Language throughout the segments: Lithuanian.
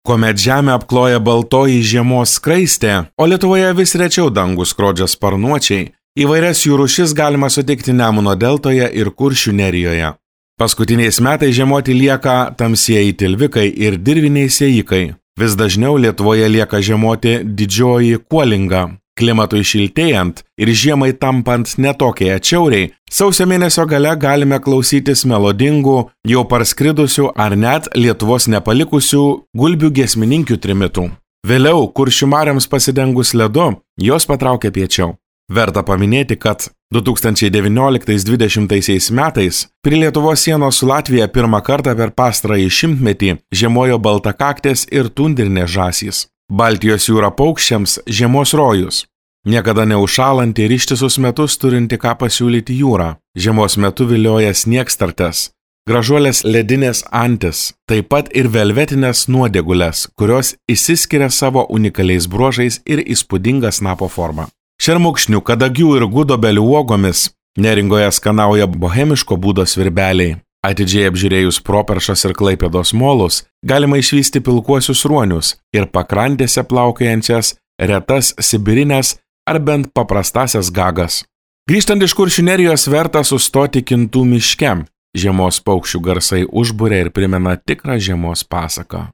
Kuomet žemę apkloja baltoji žiemos skraistė, o Lietuvoje vis rečiau dangų skrodžia sparnuočiai, įvairias jų rūšis galima sutikti Nemuno deltoje ir Kuršių nerijoje. Paskutiniais metais žiemoti lieka tamsieji tilvikai ir dirviniai sėjikai. Vis dažniau Lietuvoje lieka žiemoti didžioji kuolinga. Klimatui šiltėjant ir žiemai tampant netokiai atšiauriai, sausio mėnesio gale galime klausytis melodingų, jau parskridusių ar net Lietuvos nepalikusių gulbių giesmininkių trimitų. Vėliau, Kuršių marioms pasidengus ledu, jos patraukia piečiau. Verta paminėti, kad 2019-2020 metais prie Lietuvos sienos su Latvija pirmą kartą per pastarąjį šimtmetį žiemojo baltakaktės ir tundrinės žąsys. Baltijos jūra paukščiams žiemos rojus. Niekada neužšalanti ir ištisus metus turinti ką pasiūlyti jūra. Žiemos metu vilioja sniegstartes, gražuolės ledinės antis, taip pat ir velvetinės nuodėgulės, kurios išsiskiria savo unikaliais bruožais ir įspūdinga snapo forma. Šermukšnių, kadagių ir gudobelių uogomis Neringoje skanauja bohemiško būdo svirbeliai. Atidžiai apžiūrėjus Properšos ir Klaipėdos molus, galima išvysti pilkuosius ruonius ir pakrantėse plaukiojančias retas sibirinės ar bent paprastasias gagas. Grįžtant iš Kuršių nerijos verta sustoti Kintų miške. Žiemos paukščių garsai užburia ir primena tikrą žiemos pasaką.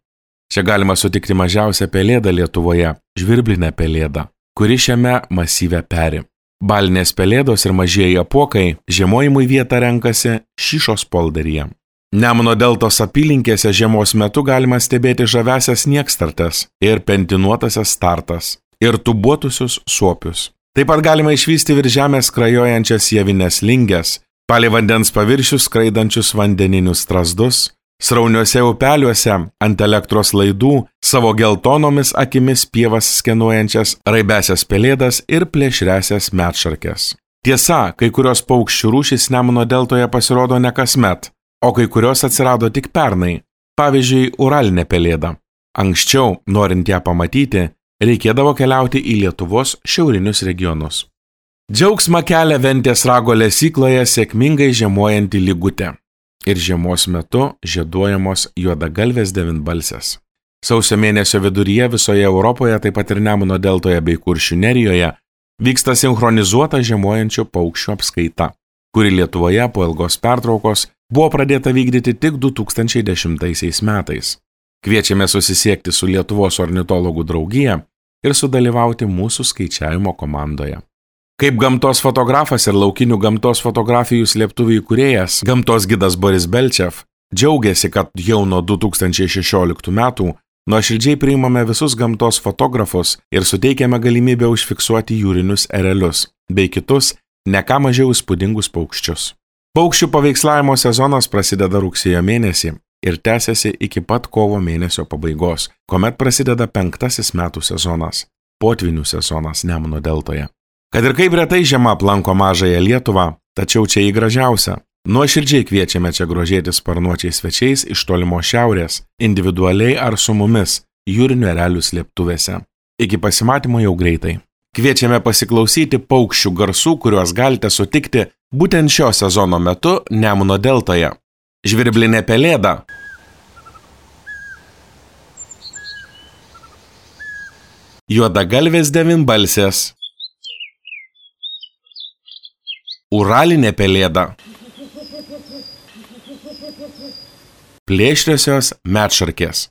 Čia galima sutikti mažiausią pelėdą Lietuvoje – žvirblinę pelėdą, kuri šiame masyve peri. Balinės pelėdos ir mažieji apuokai žiemojimui vietą renkasi Šyšos polderyje. Nemuno deltos apylinkėse žiemos metu galima stebėti žavesias sniegstartes ir pentinuotasias startas ir tubuotusius suopius. Taip pat galima išvysti virš žemės skrajojančias javines linges, palei vandens paviršius skraidančius vandeninius strazdus, srauniuose upeliuose ant elektros laidų savo geltonomis akimis pievas skenuojančias raibesias pelėdas ir plėšriasias medšarkes. Tiesa, kai kurios paukščių rūšys Nemuno deltoje pasirodo ne kasmet, o kai kurios atsirado tik pernai, pavyzdžiui, uralinė pelėda. Anksčiau, norint ją pamatyti, reikėdavo keliauti į Lietuvos šiaurinius regionus. Džiaugsmą kelia Ventės rago lesykloje sėkmingai žiemojanti lygutė. Ir žiemos metu žieduojamos juodagalvės devynbalsės. Sausio mėnesio viduryje visoje Europoje, taip pat ir Nemuno deltoje bei Kuršių nerijoje, vyksta sinchronizuota žiemojančių paukščių apskaita, kuri Lietuvoje po ilgos pertraukos buvo pradėta vykdyti tik 2010 metais. Kviečiame susisiekti su Lietuvos ornitologų draugija ir sudalyvauti mūsų skaičiavimo komandoje. Kaip gamtos fotografas ir laukinių gamtos fotografijų slėptuvių įkūrėjas, gamtos gidas Boris Belčev, džiaugiasi, kad jau nuo 2016 metų nuoširdžiai priimame visus gamtos fotografus ir suteikiame galimybę užfiksuoti jūrinius erelius, bei kitus, ne ką mažiau įspūdingus paukščius. Paukščių paveikslavimo sezonas prasideda rugsėjo mėnesį ir tęsiasi iki pat kovo mėnesio pabaigos, kuomet prasideda 5. metų sezonas – potvynių sezonas Nemuno deltoje. Kad ir kaip retai žiema aplanko mažąją Lietuvą, tačiau čia į gražiausią. Nuoširdžiai kviečiame čia grožėtis sparnuočiais svečiais iš tolimo šiaurės, individualiai ar su mumis, jūrinių erelių slėptuvėse. Iki pasimatymo jau greitai. Kviečiame pasiklausyti paukščių garsų, kuriuos galite sutikti būtent šio sezono metu Nemuno deltoje. Žvirblinė pelėda. Juodagalvės devynbalsės. Uralinė pelėda. Plėšriosios medšarkės.